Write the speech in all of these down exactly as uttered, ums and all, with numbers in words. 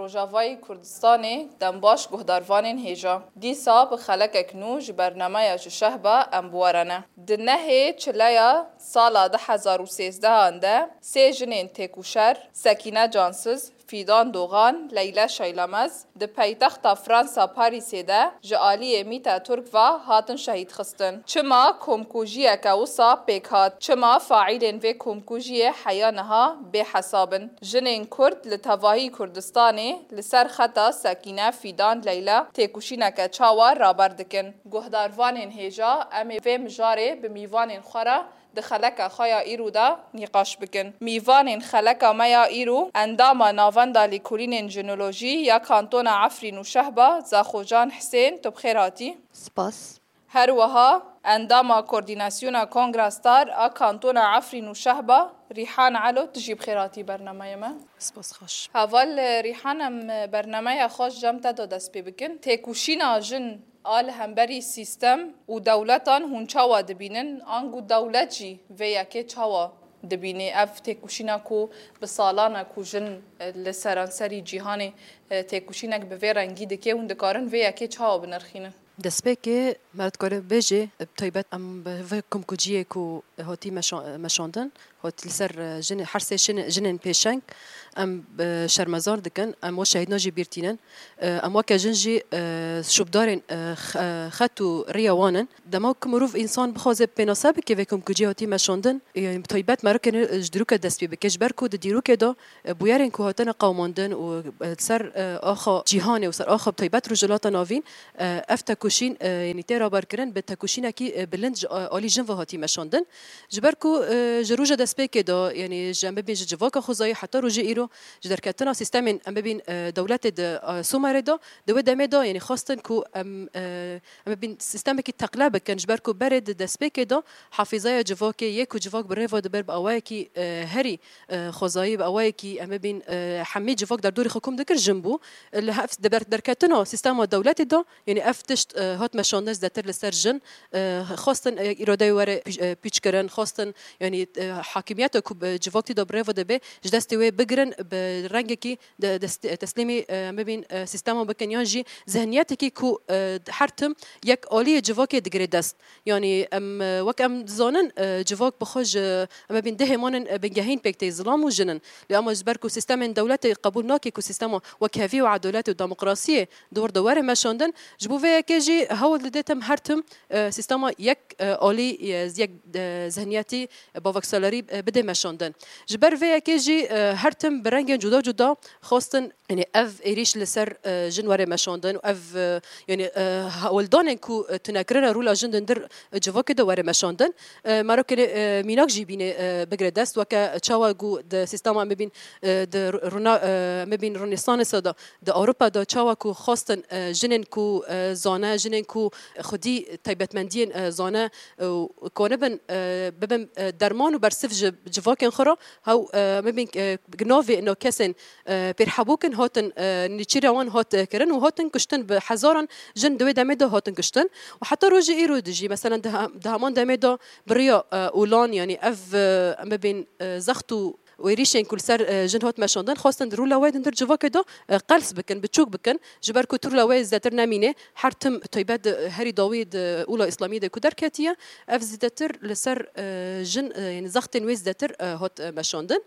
Rojavayê Kurdistanê dembaş guhdarvanên hêja. Dîsa bi xelekek nû ji bernameya Ji Şehba em bi we re ne. Di nehê çileya sala du hezar û sêzdehan de sê jinên têkoşer, Sekîne Cansiz, Fîdan Dogan, Leyle Şaylamez, di paytexta Fransa Parîsê de ji aliyê Mîta Turk ve hatin şehîdxistin. Çima komkujiyeke wisa pêk hat? Çima faîlên vê komkujiyê heya niha bêhesab in? Jinên Kurd li tevahî Kurdistanê li ser xeta Sekîne, Fîdan, Leyla têkoşîneke çawa raber dikin? Guhdarvanên hêja, em ê vê mijarê bi mîvanên xwe re di xeleka xwe ya îro de nîqaş bikin. Mîvanên xeleka me ya îro, endama Navenda Lêkolînên Jinolojî ya Kantona Efrîn û Şehba, Zaxojan Hisên, tu bi xêr hatî. Spas. Her wiha endama Koordînasyona Kongra Star a Kantona Efrîn û Şehba, Rîhan Elo, tu jî bi xêr hatî bernameyê me. Spas xweş. Heval Rîhan, em bernameya xwe ji cem te de dest pê bikin. Têkoşîna jin a li hemberî sîstem û dewletan hûn çawa dibînin? Ango dewlet jî vê yekê çawa dibîne? Ev têkoşîna ku bi salan e ku jin, e, li seranserî cîhanê, e, têkoşînek bi vê rengî dike, hûn dikarin vê yekê çawa binirxînin? Destpêkê me dikare bêjê, bi taybet em bi vê komkuciyê ku hatî meşa-, meşandin, Hot li ser, e, jinê-, her sê şin-, jinên pêşeng em, e, şermezar dikin, em we şehîdna jî bîr tînin. E, em weke jin jî, e, şûbdarên, e, x-, e, xet û riya wan in. Dema ku mirov însan bixwaze pênase bike vê komkuciyê hatî meşandin, e, bi taybet merokê ji dîroke dest pê bike, ji ber ku di dîrokê de, e, bûyerên ku hatine qewimandin û, e, ser, e, axa cîhanê û ser axa bi taybet Rojhilata Navîn, e, ev tekoşîn, e, yanî tê raberkirin bi tekoşînekî, e, bilind ji, e, alî jin ve hatî meşandin. Ji ber ku, e, ji roja destpêkê de, yanî ji em bibîn ji civaka xwezayî heta rojê îro, ji derketina sîstemên em bibîn, e, dewletê di, e, Somerê de, di wê demê de, yanî xwestin ku em, e, em bibîn sîstemekî teqle bikin, ji ber ku berê di destpêkê de hafîzaya civakê yê ku civak bi rê ve dibe bi awayekî, e, herî, e, xwezayî, bi awayekî em bibîn, e, hemî civak derdorî xwe kom dikir jin bû. Li hev-, di ber-, derketina sîstema dewletê de, Yanî ev tişt, e, hat meşandin zêdetir li ser jin, e, xwestin, e, îradeyê were pî-, e, pîçkirin, xwestin, yanî, e, hakimiyeta ku bi civakî de bi rê ve dibe, ji destê wê bigirin, bi rengekî de-, dest-, teslîmî, e, em bibîn, e, sîstema bikin, yan jî zihniyetekî ku, e, her tim yek aliyê civakê digire dest. Yanî em, e, wek em dizanin, e, civak bi xwe ji, em bibîn dehê manin, e, bingehîn pêk tê, zilam û jin in. Lê ama ji ber ku sîstemên dewletê qebûl nake ku sîstema wekhevî û edaletê û demokrasiyê di wir de were meşandin. Ji bo vê yekê jî hewl dide tim her tim, e, sîstema yek, e, alî, e, yek, e, zihniyetî, e, baveksalerî, e, bide meşandin. Ji ber vê yekê jî, e, her tim bi rengên cuda cuda xwestin, yanî ev êrîş li ser, e, jin were meşandin û ev, e, yanî, e, hewldanên ku, e, tunekirine rola jin di ndir, e, civakê de were meşandin. E, merokê, e, mînak jî bîne, e, bigire dest, weke çawa ku di sîstema me bîn, e, di rûna, e, me bîn Rönesansa de, di Ewropa de çawa ku xwestin, e, jinên ku, e, zane, jinên ku xwedî taybetmendiyên, e, zane, e, û konibin, e, bibin, e, derman û bersiv ji civakên xwe re, hew, e, me bîn, e, navê ino kesên, e, pêrhebûkin hatin, e, nêçîra wan hat, e, kirin û hatin kuştin, bi hezaran jin di wê demê de hatin kuştin. Û heta rojê îro de jî, meselen, di he-, di heman demê de bi riya, e, olan, yanî ev, e, em bibîn, e, zext û êrîşên ku li ser, e, jin hat meşandin, xwestin di rûla wê di ndir civakê de, e, qels bikin, biçûk bikin, ji ber ku tu rûla wê zêdetir nemîne, her tim taybet, e, herî dawî di ûla îslamiyê de ku derketiye, ev zêdetir li ser, e, jin, e, yanî zextên wê zêdetir, e, hat, e, meşandin.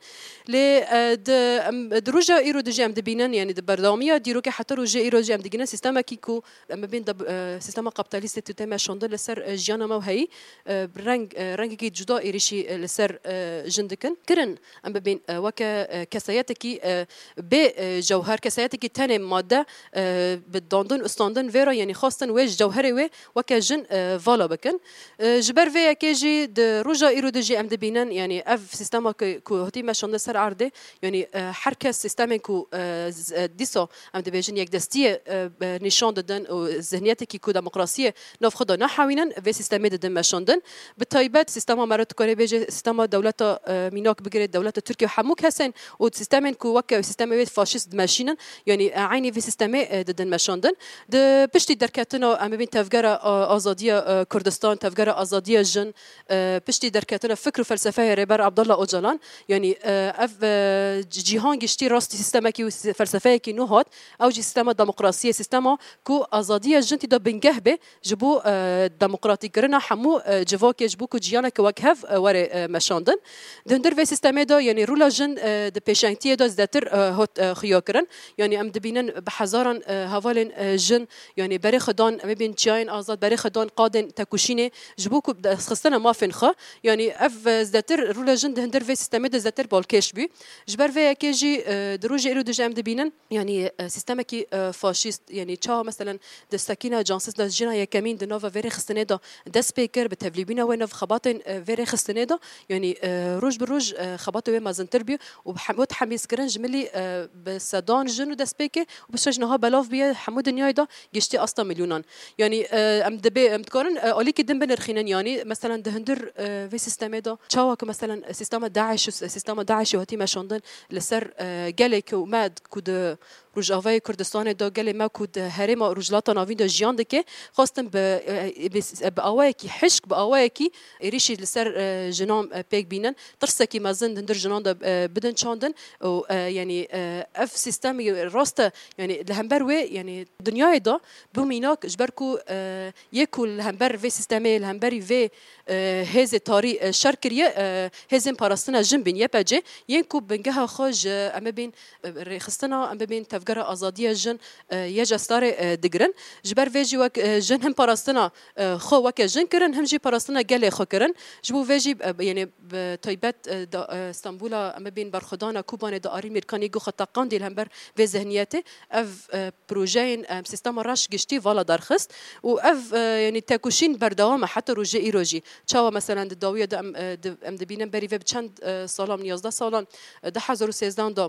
Lê, e, di, em, di roja îro de jî em dibînin, yanî di berdewamiya dîrokê heta rojê îro jî em digihînin sîstemekî ku Em bibîn de, e, sîstema kapîtalîstê tu tê meşandin li ser, e, jiyana me û heyî, e, reng, e, rengekî cuda êrîşî, e, li ser, e, jin dikin. Kirin, em bibîn, e, weke, e, kesayetekî, e, bê, e, jewher, kesayetekî tenê madde, e, bi dandin û standin vê re, yanî xwestin wê ji cewherê wê weke jin, e, vala bikin. E, ji ber vê yekê jî di roja îro de jî em dibînin, yanî ev sîstema ku, ku hatî meşandin ser erdê, Yanî, e, her kes sîstemên ku, e, z-, e, dîsa em dibêjin yekdestiyê, e, e, nîşan didin û zihniyetekî ku demokrasiyê nav xwe de nahewînin, vê sîstemê didin meşandin. Bi taybet sîstema me re dikare bêje sîstema dewleta, e, mînak bigire, dewleta Tirkiye hemû kesên û sîstemên ku weke sîstemê wê faşîst dimeşînin, yanî, e, eynî vê sîstemê, e, didin meşandin. Di piştî derketina, em bibîn tevgera, e, azadiya, e, Kurdistan, tevgera azadiya jin, e, piştî derketina fikr û felsefeya Rêber Abdullah Ocalan, yanî, e, ev, e, ci-, cîhan giştî rastî sîstemekî û sî-, felsefeyekî nû hat, ew jî sîstema demokrasiyê, sîstema ku azadiya jin tî de bingeh be, ji bo, e, demokratîkirina hemû, e, civakê, ji bo ku ciyaneke wekhev, e, were, e, meşandin. Di hundir vê sîstemê de, yanî, rola jin, e, di pêşengtiyê de zêdetir, e, hot, e, xuya kirin. Yanî, em dibînin bi hezaran, e, hevalên, e, jin, yanî, berê xwe dan, em ê bîn çiyayên azad, berê xwe dan qadên tekoşînê, ji bo ku destxistina mafên xwe. Yanî, ev, e, zêdetir, rola jin di hundir vê sîstemê de zêdetir balkêş bû. Ji ber vê yekê jî, e, di rojê îro de jî em dibînin, yanî, e, sîstemekî, e, faşîst, yanî çawa, meselen, di Sekîna Cansiz de jina yekemîn di nava vê rêxistinê de dest pê kir, bi tevlîbîna wê nav xebatên, e, vê rêxistinê de, yanî, e, roj bi roj, e, xebatê wê mezintir bû û hem-, hot hemîzkirin ji milî, e, bi sedan jin û destpêkê û bi şeş niha belav bûye hemû dinyayê de giştî asta milyonan. Yanî, e, em dibê, em dikarin, e, alîkî din binirxînin, yanî, meselen, di hundir, e, vê sîstemê de çawa ku, meselen, sîstema DAIŞ û s-, sîstema DAIŞê hatî meşandin li ser, e, gelê ku me ku di Rojavayê Kurdistanê de gelê me ku di herêma Rojhilata Navîn de jiyan dike, xwestin bi, e, bi, bi awayekî hişk, bi awayekî êrîşî li ser, e, jinan, e, pêk bînin. Tirsekî mezin di hundir jinan de, e, bidin çandin û, e, yanî, e, ev sîstemî rast e, yanî li hember wê, yanî dinyayê de bi mînak ji ber ku, e, yê ku li hember vê sîstemê, li hemberî vê, e, hêzê tarî, e, şer kiriye, e, hêzên parastina jin bîn, Y P G, yên ku bingeha xwe ji, em bibîn, e, rêxistina, em bibîn tevgera azadiya jin, e, Y G S-ê, e, digirin. Ji ber vê jî wek, e, jin him parastina, e, xwe weke jin kirin, him jî parastina gelê xwe kirin. Ji bo vê jî, e, yanî bi taybet, e, da, e, Stenbola, em bibîn berxwedana Kobanê de Arîn Mîrkanî got xwe teqandî li hember vê zihniyetê. Ev, e, projeyên, e, sîstema reş giştî vala derxist û ev, e, yanî tekoşîn berdewam e heta rojê îro jî. Çawa, meselen, di dawiya de em, e, di, em dibînin berî vê bi çend, e, salan, yazdeh salan, e, du hezar û sêzdeh de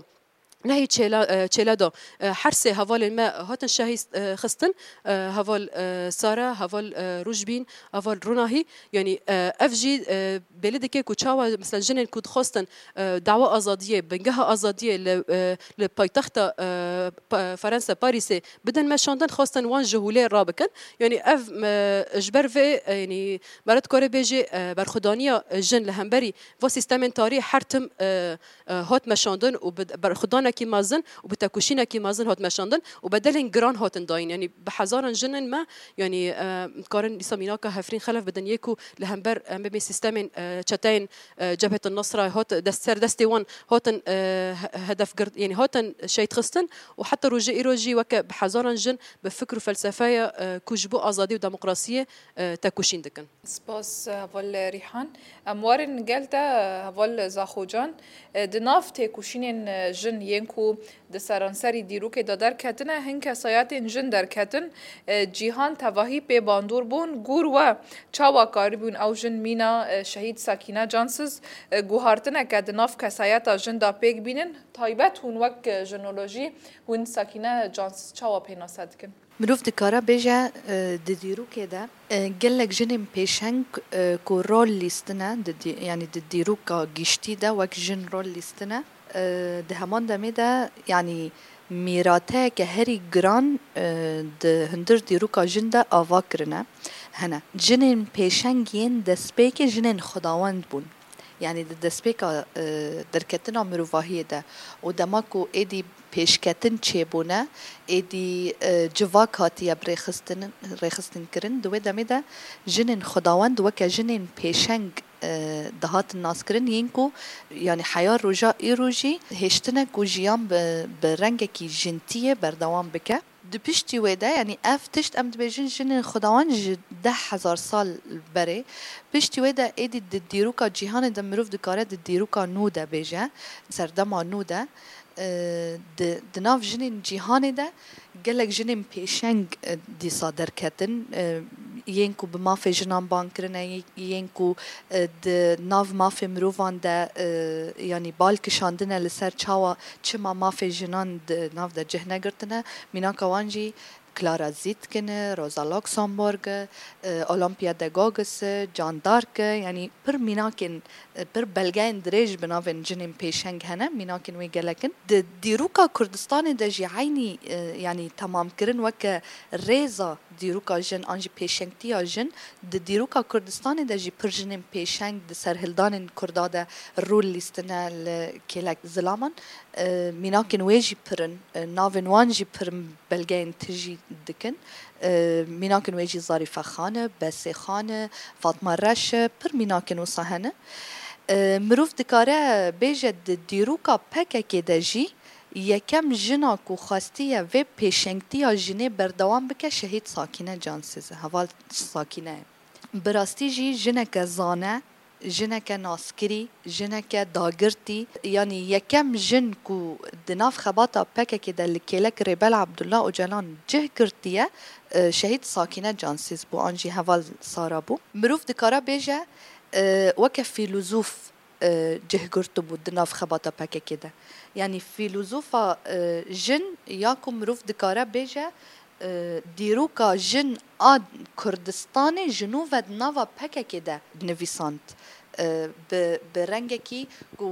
nehî Çêla-, e, Çêlê de, e, her sê hevalên me hatin şehîd, e, xistin, e, heval, e, Sara, heval, e, Rojbîn, heval Ronahî. Yanî, e, ev jî, e, belî dike ku çawa, mesela, jinên ku dixwestin, e, dawa azadiyê, bingeha azadiyê li, e, li paytexta, e, Pa-, Fransa, Parîsê bidin meşandin, xwestin wan ji holê rabikin. Yanî ev, e, ji ber vê, e, yanî, me re dikare bêjê, e, berxwedaniya jin li hemberî va sîstemên tarî her tim, e, e, hat meşandin û bi berxwedanekî mezin û bi tekoşînekî mezin hat meşandin û bedelên giran hatin dayîn. Yanî bi hezaran jinên me, yanî, e, dikarin dîsa mînaka Hefrîn Xelef bidin, yê ku li hember, em bibên sîstemên, e, çeteyên, e, Cebhet Nusra hat dest, ser destê wan hatin, e, he-, hedef girt, yanî hatin şehîd xistin û heta rojê îro jî weke bi hezaran jin bi fikr û felsefeya, e, ku ji bo azadî û demokrasiyê, e, tekoşîn dikin. Spas, heval Rîhan. Em werin gel te, heval Zaxocan. Di nav têkoşînên jin yên ku di seranserî dîrokê de derketine, hin kesayetên jin derketin. Cîhan tevahî pê bandor bûn. Gor we, çawa karibûn ew jin mîna şehîd Sakîne Cansiz guhartineke di nav kesayeta jin de pêk bînin? Taybet hûn wek jinolojî, hûn Sakîne Cansiz çawa pênase dikin? Mirov dikare bêje, e, di dîrokê de, e, gelek jinên pêşeng, e, ku rol lîstine, di dî-, yanî di dîroka giştî de wek jin rol lîstine, e, di heman demê de, yanî mîrateyeke herî giran, e, di hundir dîroka jin de ava kirine. Hene. Jinên pêşeng yên destpêkê jinên xwedawend bûn. Yanî di destpêka, e, derketina mirovahiyê de û dema ku êdî pêşketin çêbûne, êdî, e, civak hatiye bi rêxistin, rêxistin kirin, di wê demê de jinên xwedawend weke jinên pêşeng, e, dihatin naskirin, yên ku, yanî heya roja îro jî hêştine ku jiyan bi, bi rengekî jintiyê berdewam bike. Di piştî wê de, yanî ev tişt em dibêjin jinên xwedawend ji deh hezar sal berê. Piştî wê de êdî di dîroka cîhanê de mirov dikare di dîroka nû de bêje, serdema nû de, e, di, di nav jinên cîhanê de gelek jinên pêşeng, e, dîsa derketin, e, yên ku bi mafê jinan bang kirine, yên ku, e, di nav mafê mirovan de, e, yanî bal kişandine li ser çawa, çima mafê jinan di nav de cih negirtine, mînaka wan jî Clara Zetkin e, Rosa Luxemburg e, e, Olympia de Gauguis e, Jeanne d'Arc e, yanî pir mînakên, e, pir belgeyên dirêj bi navên jinên pêşeng hene, mînakên wê gelek in. Di dîroka Kurdistanê de jî eynî, e, yanî temamkirin weke rêza dîroka jin an jî pêşengtiya jin, di dîroka Kurdistanê de jî pir jinên pêşeng di serhildanên Kurda de rol lîstine li kêlek zilaman. E, mînakên wê jî pir in, e, navên wan jî pir in, belgeyên tijî dikin. E, mînakên wê jî Zarîfe Xan e, Besê Xan e, Fatma Reş e, pir mînakên wisa hene. E, mirov dikare bêje di dîroka P K K de jî yekem jina ku xwestiye vê pêşengtiya jinê berdewam bike Şehîd Sakîne Cansiz e, heval Sakîne ye. Bi rastî jî jineke zane, jineke naskirî, jineke dagirtî, yanî yekem jin ku di nav xebata P K K de li kêlek Rêber Abdullah Ocalan cih girtiye, e, Şehîd Sakîne Cansiz bû, an jî heval Sara bû. Mirov dikare bêje, e, weke fîlozof, e, cih girtibû di nav xebata P K K de. Yanî fîlozofa, e, jin ya ku mirov dikare bêje, e, dîroka jin a Kurdistanê ji nû ve di nava P K K de nivîsand. E, bi, bi rengekî ku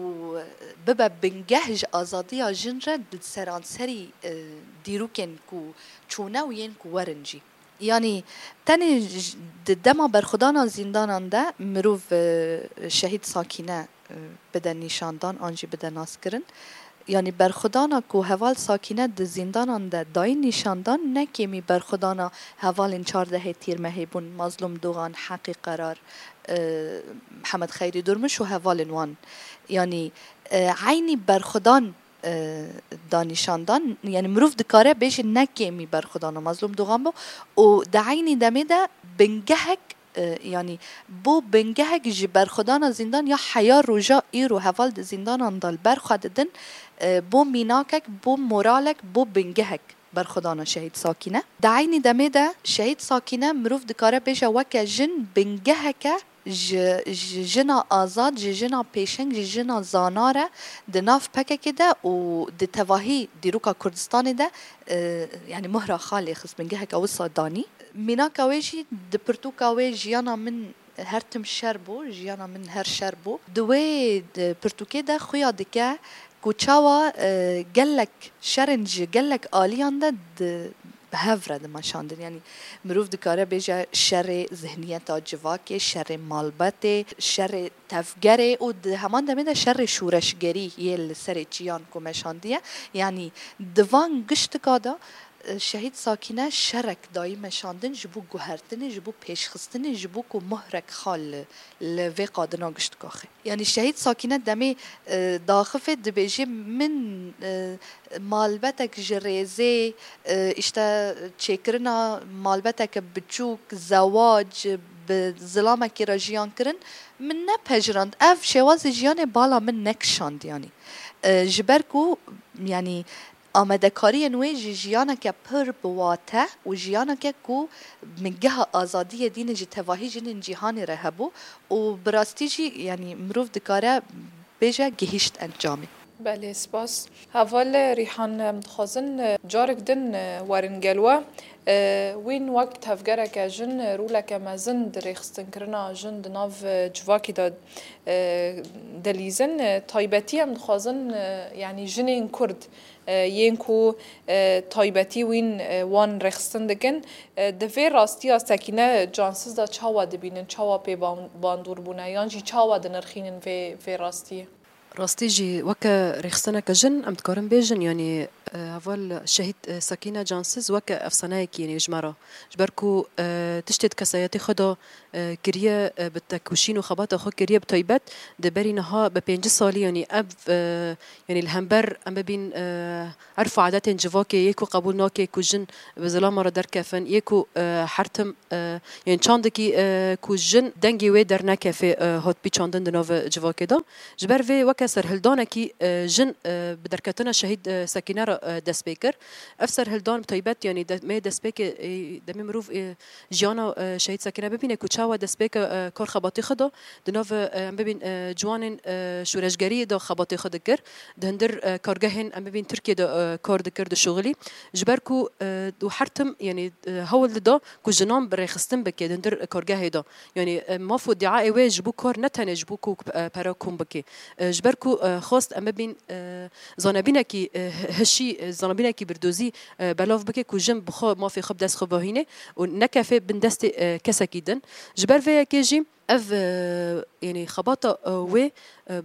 bibe bingeh ji azadiya jin re di seranserî, e, dîrokên ku çûne û yên ku werin jî. Yanî tenê j-, di dema berxwedana zîndanan de mirov, e, Şehîd Sakîne, e, bide nîşandan an jî bide naskirin. Yanî berxwedana ku heval Sakîne di zîndanan de dayî nîşandan ne kêmî berxwedana hevalên çardehê Tîrmehê bûn, Mazlûm Dogan, Heqî Qerar, e, Mihemed Xeyrî Durmuş û hevalên wan. Yanî, e, eynî berxwedan, e, da nîşandan, yanî mirov dikare bêje ne kêmî berxwedana Mazlûm Dogan bû û di eynî demê de bingehek, e, yanî bû bingehek ji berxwedana zîndan ya heya roja îro heval di zîndanan de li ber xwe didin, e, bû mînakek, bû moralek, bû bingehek berxwedana Şehîd Sakîne. Di eynî demê de Şehîd Sakîne mirov dikare bêje weke jin bingeheke ji, ji jina azad, ji jina pêşeng, ji jina zana re di nav P K K de û di tevahî dîroka Kurdistanê de, e, yanî mohra xwe lê xist, bingeheke wisa danî. Mînaka wê jî di pirtûka wê Jiyana Min Her Tim Şer Bû, Jiyana Min Her Şer Bû. Di wê, di pirtûkê de xuya dike ku çawa, e, gelek şerên ji gelek aliyan de di, bi hev re dimeşandin. Yanî mirov dikare bêje şerê zihniyeta civakê, şerê malbetê, şerê tevgerê û di heman demê de şerê şoreşgerî yê li serê çiyan ku meşandiye. Yanî di van giştika de, e, Şehîd Sakîne şerek dayî meşandin ji bo guhertinê, ji bo pêşxistinê, ji bo ku mohrek xal li, li vê qadina giştika xê. Yanî Şehîd Sakîne demê, e, daxifê dibêjê min, e, malbetek ji rêzê, e, îşte çêkirina malbeteke biçûk, zewac, bi zilamekê re jiyan kirin, min nepejirand. Ev şêwazê jiyanê bala min nekişand, yanî. E, ji ber ku, yanî, amadekariyên wê ji jiyaneke pir bi wate û jiyaneke ku bingeha azadiyê dîne ji tevahî jinên cîhanê re hebû û bi rastî jî, yanî, mirov dikare bêje gihîşt encamê. Belê, spas. Heval Rîhan, em dixwazin, e, carek din, e, werin gel we. E, wîn wek tevgereke jin, e, roleke mezin di rêxistinkirina jin di nav, e, civakê de, e, dilîzin. E, taybetî em dixwazin, e, yanî jinên Kurd, e, yên ku, e, taybetî wîn, e, wan rêxistin dikin. E, di vê rastiya Sekîne Cansiz de çawa dibînin, çawa pê ban-, bandor bûne, yan jî çawa dinirxînin vê, vê rastiyê? Rastî jî weke rêxistineke jin em dikarin bêjin, yanî, e, heval Şehîd, e, Sekîne Cansiz weke efsaneyekî, yanî ji me re. Ji ber ku, e, tiştê di kesayetê xwe de, e, kiriye, e, bi tekoşîn û xebata xwe kiriye, bi taybet di berî niha bi pêncî salî, yanî ev, e, yanî li hember em bibîn, e, erf û adetên civakê yê ku qebûl nake ku jin bi zilama re derkefin, yê ku, e, her tim, e, yên çandekî, e, ku jin dengê wê dernekefê, e, hat pîçandin di nav civakê de. Ji ber vê weke serhildanekî, e, jin, e, bi derketina Şehîd, e, Sekîne re, e, dest pê kir. Ev serhildan bi taybet, yanî de-, me destpêkê, e, demê mirov, e, jiyana, e, Şehîd Sekîne bibîne ku Ewa destpêka, e, kar xebatê xwe da, di nav, e, em bibîn, e, ciwanên, e, şoreşgeriyê de xebatê xwe dikir, di hundir, e, kargehên em bibîn Tirkiyê de, e, kar dikir, dişuxilî. Ji ber ku, e, û her tim, yanî, e, hewl dida ku jinan bi rêxistin bike di hundir kargehê de. Yanî, e, maf û diaê wê ji bo kar ne tenê ji bo ku, e, pera kom bike. E, ji ber ku, e, xwest em bibîn, e, zanebînekî, e, hişî, e, zanebînekî birdozî, e, belav bike ku jin bi xwe mafê xwe bi dest xwe vehîne û nekefê bin destê, e, kesekî din. Ji ber vê yekê jî ev, e, yanî xebata, e, wê, e,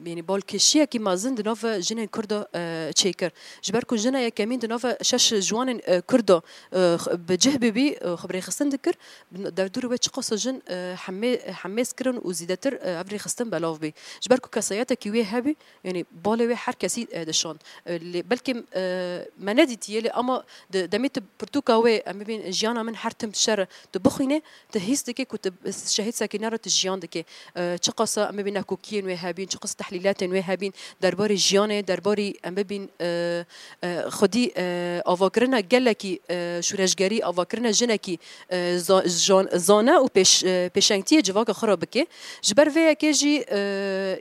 yanî balkêşiyekî mezin di nav jinên Kurd de, e, çêkir. Ji ber ku jina yekemîn di nav şeş ciwanên, e, Kurd de, e, x-, bi cih bibî, e, xwe bi rêxistin dikir, bi derdorê wê çiqasa jin, e, hemê-, hemêz kirin û zîdetir, e, ev rêxistin belav bî. Ji ber ku kesayetekî wê hebî, yanî balê wê her kesî, e, dişand. E, lê belkî, e, me nedîtiye, lê ama di demê tu pirtûka wê, em bibîn jiyana min her tim şer e, tu bixwînê, tu hîs dikê ku tu şehîd Sekîne re tu jiyan dikê. E, çiqasa em bibîn nekokiyên wê hebîn, çiqasa tehlîletên wê hebîn, derbarê jiyanê, derbarê em bibîn, e, e, xwedî, e, avakirina gelekî, e, şûreşgerî, avakirina jinekî, e, za-, jan-, zane û pêş-, e, pêşengtiyê civaka xwe re bike. Ji ber vê yekê jî, e,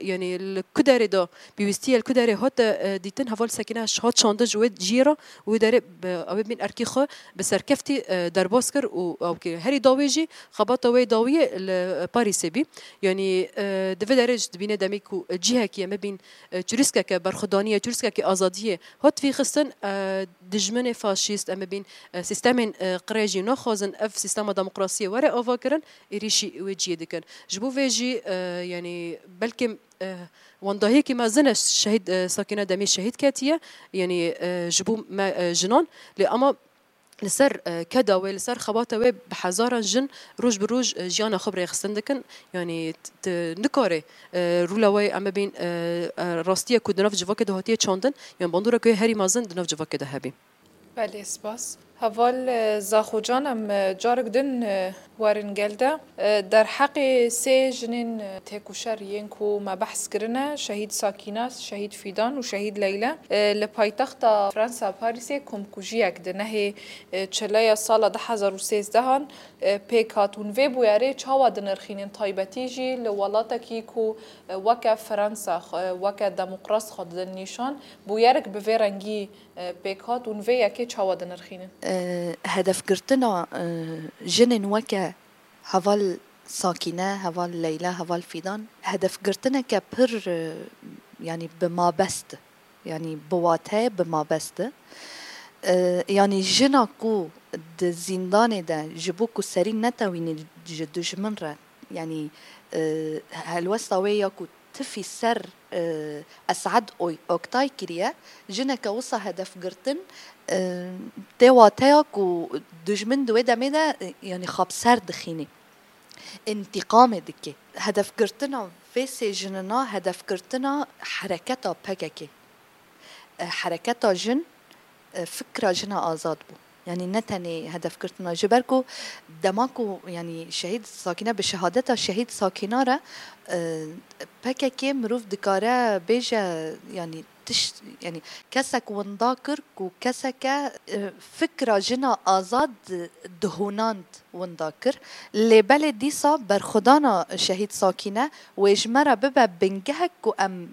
yanî li ku derê de pêwîstî ye, li ku derê hate, e, dîtin, heval Sekîne hat çandin ji wê cihê re û wê derê bi, ew ê bin erkê xwe bi serkeftî, e, derbas kir û ew kir. Herî dawî jî xebata wê dawiyê li Parîsê bî. Yanî, e, di vê derê jî dibîne demê ku cihekî em bibîn, e, çirûskeke berxwedaniyê, çirûskeke azadiyê hat vîxistin, e, dijminê faşîst, em bibîn, e, sîstemên, e, qirêjî naxwazin ev sîstema demokrasiyê were avakirin, êrîşî wê cihê dikin. Ji bo vê jî, e, yanî belkî, e, wendahiyekî mezin e şehîd, e, Sakîne demê şehîd ketiye, yanî, e, ji bo me, e, jinan, lê ama li ser, e, keda wê, li ser xebata wê bi hezaran jin roj bi roj, e, jiyana xwe bi rêxistin dikin. Yanî t-, t-, nikare, e, rûla wê em bibîn, e, e, rastiye ku di nav civakê de hatiye çandin, yan bandora ku yê herî mezin di nav civakê de hebî. Belê, spas. Heval, e, Zaxocan, em, e, carek din, e, werin gel de. E, derheqê sê jinên, e, têkoşer yên ku me behs kirine, şehîd Sakîna, şehîd Fîdan û şehîd Leyla, e, li paytexta Fransa Parîsê komkujiyek di nehê, e, çileya sala du hezar û sêzdehan, e, pêk hat. Hûn vê bûyerê çawa dinirxînin, taybetî jî li welatekî ku, e, weke Fransa, e, weke demokrat xwe didin nîşan, bûyerek bi vê rengî, e, pêk hat û vê yekê çawa dinirxînin? E, hedefgirtina, e, jinên weke heval Sakîne, heval Leyla, heval Fîdan, hedefgirtineke pir, e, yanî bi mabest, yanî bi wateyê bi mabest e. E, yanî jina ku di zîndanê de ji bo ku serî netewînî ji dijmin re, yanî, e, helwesta wê ya ku tifî ser, e, Esad Oy-, Oktay kiriye, jineke wisa hedefgirtin, e, tê wateya ku dijmin di wê demê de, e, yanî xwe bi ser dixînî, întîqamê dike. Hedefgirtina vê sê jinina hedefgirtina hereketa P K K. E, hereketa jin, e, fikra jina azad bû. Yanî ne tenê hedefgirtina, ji ber ku dema ku, yanî şehîd Sakîne, bi şehadeta şehîd Sakîna re, e, P K K mirov dikare bêje, yanî tişt, yanî kesek winda kir ku keseke, e, fikra jina azad dihonand winda kir. Lê belê dîsa berxwedana şehîd Sakîne wê ji me re bibe bingehek ku em,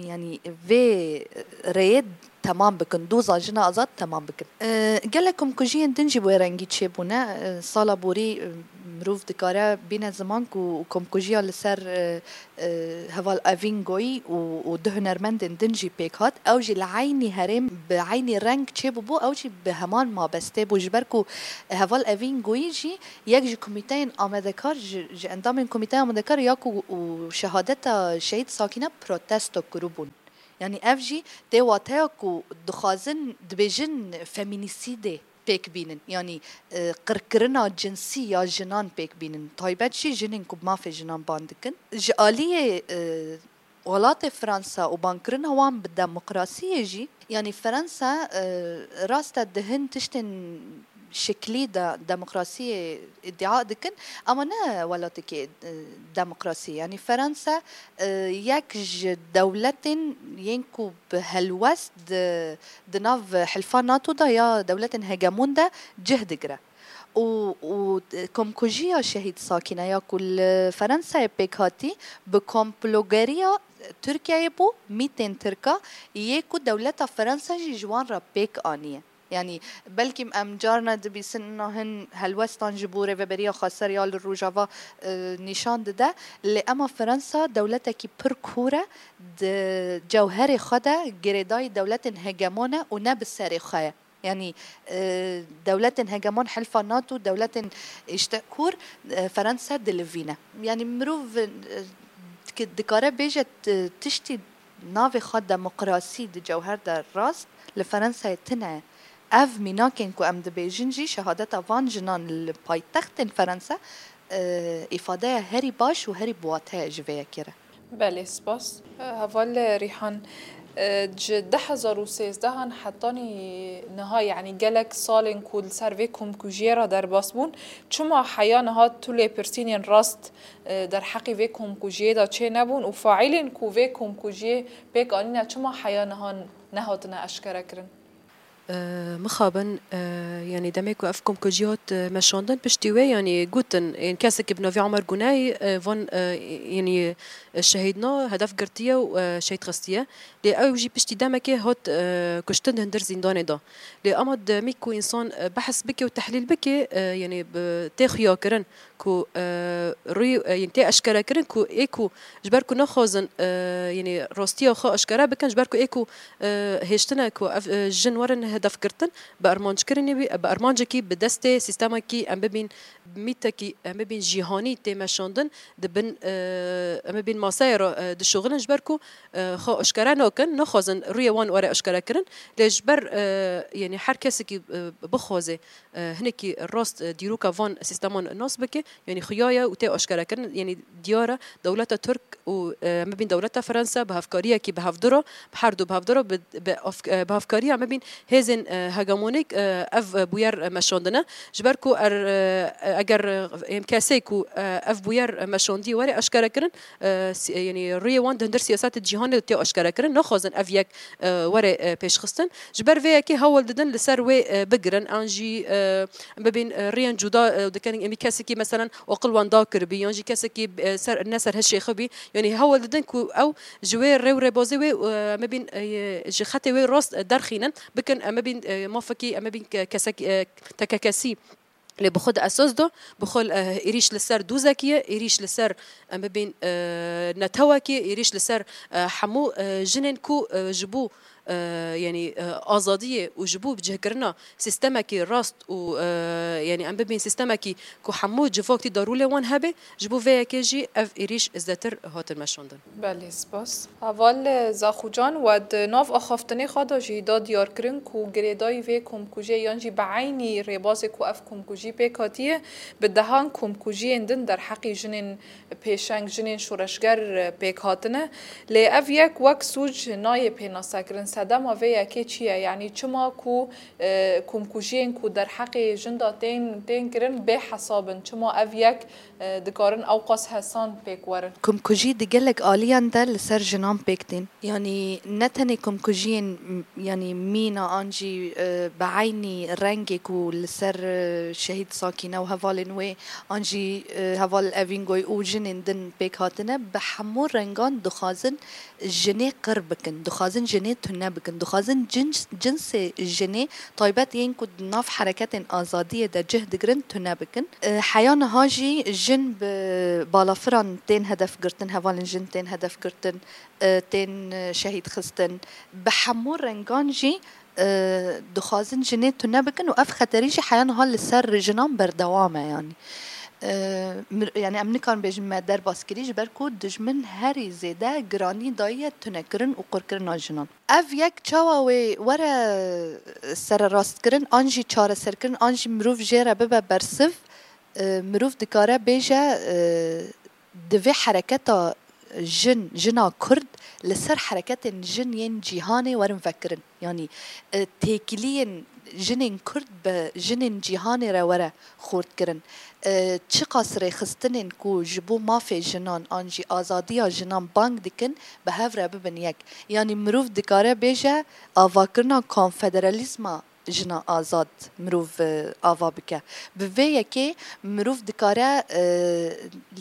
yanî vê rêyê temam bikin, doza jina azad temam bikin. E, gelek komkujiyên din jî bi wê rengî çêbûne. E, sala borî, e, mirov dikare bîne ziman ku komkujiya li ser, e, e, heval Evîn Goyî û, û du hunermendên din jî pêk hat. Ew jî li eynî herêm bi eynî reng çêbûbû, ew jî bi heman mabestê bû, ji ber ku heval Evîn Goyî jî yek ji komîteyên amadekar, ji, ji endamên komîteya amadekar ya ku û şehadeta şehîd Sakîne protesto kiribûn. Yanî ev jî tê wateya ku dixwazin, dibêjin femînîsîdê pêk bînin. Yanî, e, qirkirina cinsî ya jinan pêk bînin. Taybet jî jinên ku mafê jinan ban dikin. Ji aliyê, e, welatê Fransa û bankirina wan bi demokrasiyê jî, yanî Fransa, e, rast e di hin tiştên şiklî de demokrasiyê îdia dikin, ama ne welatekê, e, demokrasî. Yanî Fransa, e, yek ji dewletên yên ku bi helwest di, di nav hilfa NATO de ya dewletên hegemon de cih digire. û, û komkujiya Şehîd Sakîne ya ku li Ferensayê pêk hatî, bi komplogeriya Tirkiyeyê bû, mîtên Tirka, yê ku dewleta Ferensa jî ji wan re pêk aniye. Yanî, belkî em carna dibîsin, niha hin helwestan ji bo Rêveberiya Xweser ya li Rojava, e, nîşan dide, lê ema Ferensa dewletekî pir kûr e, di cewherê xwe de girêdayî dewletên hegemon e û ne bi serê xwe ye. Yanî, e, dewletên hegemon hilfa nato, dewletên îşte kûr, e, Ferensa dilivîne. Yanî, mirov, e, dike-, dikare bêje t-, tiştî navê xwe demokrasî di cewher de rast li Ferensayê tune. Ev mînakên ku em dibêjin jî şehadeta van jinan li paytextên Ferensa, e, îfadeya herî baş û herî biwate ye ji vê yekê re. Belê, spas. Heval Rîhan, e, ji du hezar û sêzdeh an hetanî niha, yanî gelek salên ku li ser vê komkujiyê re derbas bûn, çima heya niha tu lêpirsînên rast, e, derheqî vê komkujiyê de çênebûn û faîlên ku vê komkujiyê pêk anîne çima heya niha nehatine eşkerekirin? E, mixabin, e, yanî demê ku ev komkujî hat, e, meşandin, piştî wê, yanî gotin, ên kesekî bi navê Omer Guney, e, van, e, yanî, e, şehîdna hedef girtiye û, e, şehîd xistiye. Lê ew jî piştî demekê hat, e, kuştin di hundir zîndanê de. Lê ema demî ku însan, e, behs bike û tehlîl bike, e, yanî bi, tê xuyakirin ku, e, rûyê, e, yên tê eşkerekirin ku ê ku ji ber ku naxwazin, e, yanî rastiya xwe eşkere bikin, ji ber ku ê ku, e, hêştine ku ev, e, jin werin hedefgirtin, bi armanckirinê wî, bi armancekî, bi destê sîstemekî, em bibîn mîtekî, em bibîn cîhanî tê meşandin, di bin, e, em bibîn maseyê re, e, dişuxulin, ji ber ku, e, xwe eşkere nakin, naxwazin rûyê wan were eşkerekirin. Lê ji ber, e, yanî her kesekî, e, bixwaze, e, hinekî rast, e, dîroka van sîsteman nas bike, yanî xuya ye û tê aşkerekirin, yanî diyar e, dewleta Tirk û, e, em bibîn dewleta Ferensa bi hevkariyekî bi hevdu re, bi her du bi hevdu re, bi, bi, e, bi hevkariya em bibîn hêzên, e, hegemonîk, e, ev, e, bûyer, e, meşandine. Ji ber ku er, e, eger, e, em kesê ku, e, ev bûyer, e, meşandî were eşkerekirin, e, si-, e, yanî rûyê wan di hundir siyasetê cîhanê de tê eşkerekirin, naxwazin ev yek, e, were, e, pêşxistin. Ji ber vê yekê hewl didin li ser wê, e, bigirin, an jî, e, bibîn, e, rêyên cuda, e, dikin, em ê kesekî, meselen, aqil wan da kiribî, yan jî kesekî, e, ser, ne serhişê xwe bî. Yanî hewl didin ku ew ji wê rê û rêbazê wê, e, em bibîn, e, ji xetê wê rast, e, derxînin, bikin, em bibîn, e, mafekî, em bibîn ke-, kesek, e, tekekesî. Lê bi xwe di esas de, bi xwe, e, êrîş li ser dûzekî ye, êrîş li ser, em bibîn, e, netewekî, êrîş li ser, e, hemû, e, jinên ku, e, ji bo, e, yanî, e, azadiyê û ji bo bicihkirina sîstemekî rast û, e, yanî em bibîn sîstemekî ku hemû civak tê de rolê wan hebe, ji bo vê yekê jî ev êrîş zêdetir hatin meşandin. Belê, spas. Heval Zaxucan, we di nav axaftinê xwe de jî da diyarkirin ku girêdayî vê komkujiyê yan jî bi eynî rêbazê ku ev komkujî pêk hatiye, bi dehan komkujiyên din derheqî jinên pêşeng, jinên şoreşger pêk hatine. Lê ev yek wek sûc nayê pênasekirin. Sedema vê yekê çi ye? Yanî çima ku, e, komkujiyên ku derheqê jin de tên, tên kirin bê hesab in? Çima ev yek e, dikarin ewqas hesan pêk werin. Komkujî di gelek aliyan de li ser jinan pêk tên. Yanî ne tenê komkujiyên, m-, yanî mîna an jî, e, bi eynî rengê ku li ser, e, şehîd Sakîne û hevalên wê an jî, e, heval Evîngoy û jinên din pêk hatine, bi hemû rengan dixwazin jinê qir bikin, dixwazin jinê tune bikin, dixwazin cins-, cinsê jinê taybet yên ku di nav hereketên azadiyê de cih digirin tune bikin. E, heya niha jî jin bi balafiran tên hedef girtin, hevalên jin tên hedef girtin, e, tên, e, şehîd xistin. Bi hemû rengan jî, e, dixwazin jinê tune bikin û ev xeterî jî heya niha li ser jinan berdewam e, yanî. E, mir-, yanî em nikarin bêjin me derbas kirî, ji ber ku dijmin herî zêde giranî dayiye tunekirin û qurkirina jinan. Ev yek çawa wê were sererastkirin, an jî çareserkirin, an jî mirov jê re bibe bersiv, e, mirov dikare bêje, e, divê hereketa jin, jina Kurd li ser hereketên jin yên cîhanê werin vekirin. Yanî, e, têkiliyên jinên Kurd bi jinên cîhanê re were xurtkirin. E, çiqas rêxistinên ku ji bo mafê jinan an jî azadiya jinan bang dikin, bi hev re bibin yek. Yanî mirov dikare bêje, avakirina konfederalîzma jina azad mirov, e, ava bike. Bi vê yekê mirov dikare, e,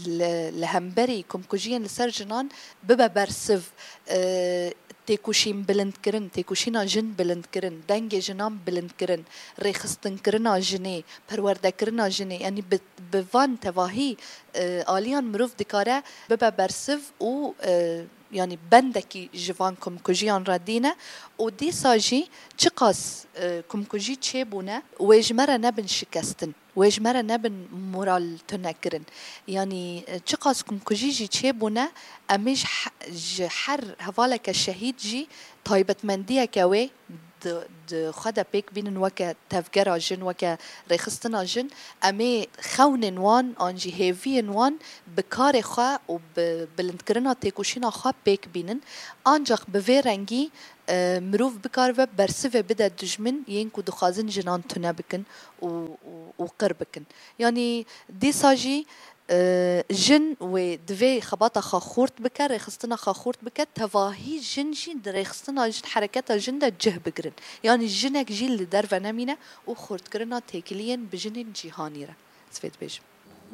li, li hemberî komkujiyên li ser jinan bibe bersiv, e, têkoşîn bilindkirin, têkoşîna jin bilindkirin, dengê jinan bilindkirin, rêxistinkirina jinê, perwerdekirina jinê, yanî bi, bi van tevahî, e, aliyan mirov dikare bibe bersiv û, e, yanî bendekî ji van komkujiyan re dîne û dîsa jî çiqas, e, komkujî çêbûne, wê ji me re nebin şikestin, wê ji me re nebin moral tunekirin. Yanî, e, çiqas komkujî jî çêbûne, em ê ji he-, ji her hevaleke şehîd jî taybetmendiyeke wê di, di xwe de pêk bînin weke tevgera jin, weke rêxistina jin. Em ê xewnên wan an jî hêviyên wan bi karê xwe û bi bilindkirina têkoşîna xwe pêk bînin. Ancaq bi vê rengî, e, mirov bikaribe bersivê bide dijmin yên ku dixwazin jinan tune bikin û, û, û qir bikin. Yanî dîsa jî, e, jin wê divê xebata xwe xurt bike, rêxistina xwe xurt bike, tevahî jin jî di rêxistina jin, hereketa jin de cih bigirin. Yanî jinek jî li derve nemîne û xurtkirina têkiliyên bi jinên cîhanî re. Ez vê dibêjim.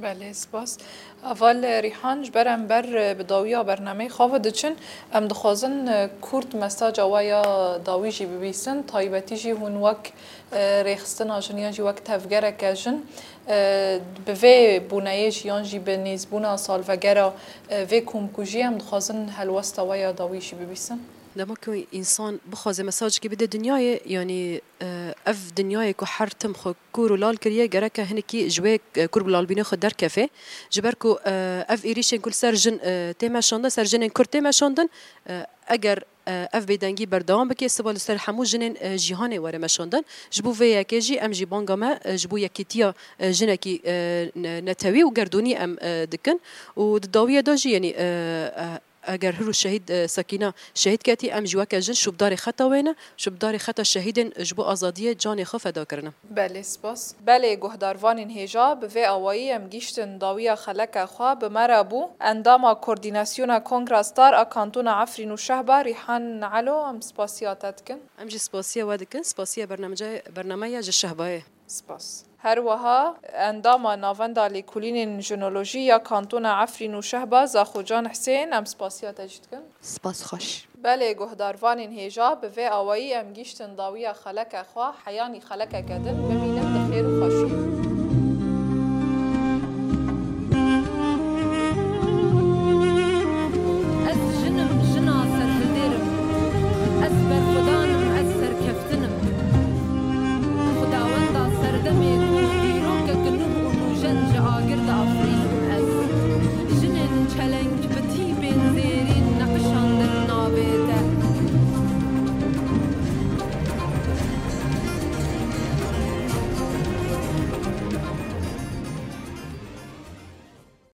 Belê, spas. Heval Rîhan, ji ber em ber, e, bi dawiya bernameyê xwe ve diçin, em dixwazin, e, kurt mesaja we ya dawî jî bibîsin, taybetî jî hûn wek, e, rêxistina jin yan jî wek tevgereke jin, e, bi vê bûneyê jî yan jî bi nêzbûna salvegera, e, vê komkujiyê em dixwazin helwesta we ya dawî jî bibîsin. Dema ku însan bixwaze mesajekê bide dinyayê, yanî, e, ev dinyayê ku her tim xwe kûr û lal kiriye, gereke hinekî ji wê, e, kûr û lalbînê xwe derkeve. Ji ber ku, e, ev êrîşên ku li ser jin, e, tê meşandin, ser jinên Kurd tê meşandin, e, eger, e, ev bêdengî berdewam bike, siba li ser hemû jinên, e, cîhanê were meşandin. Ji bo vê yekê jî em jî banga me, e, ji bo yekîtiya, e, jinekî, e, ne-, netewî û gerdûnî em, e, dikin. Û di dawiye de jî, yanî, e, e, eger hiro şehîd, e, Sekîna şehîd ketî, em jî weke jin şûbdarê xeta wê ne, şûbdarê xeta şehîdên ji bo azadiyê canê xwe feda kirine. Belê, spas. Belê, guhdarvanên hêja, bi vê awayî em gîştin dawiya xeleke xwe. Bi me re bû endama Koordînasyona Kongra Star a Kantona Efrîn û Şehba, Rîhan Elo, em spasiya te dikin. Em jî spasiya we dikin, spasiya bernamece-, bernameya ji Şehbayê. Spas. Her wiha endama Navenda Lêkolînên Jinolojî ya Kantona Efrîn û Şehba, Zaxocan Hisên, em spasiya te jî dikin. Spas xweş. Belê, guhdarvanên hêja, bi vê awayî em gîştin dawiya xeleke xwe, heyanî xelekeke din, bimînin di xêr û xweşiyê.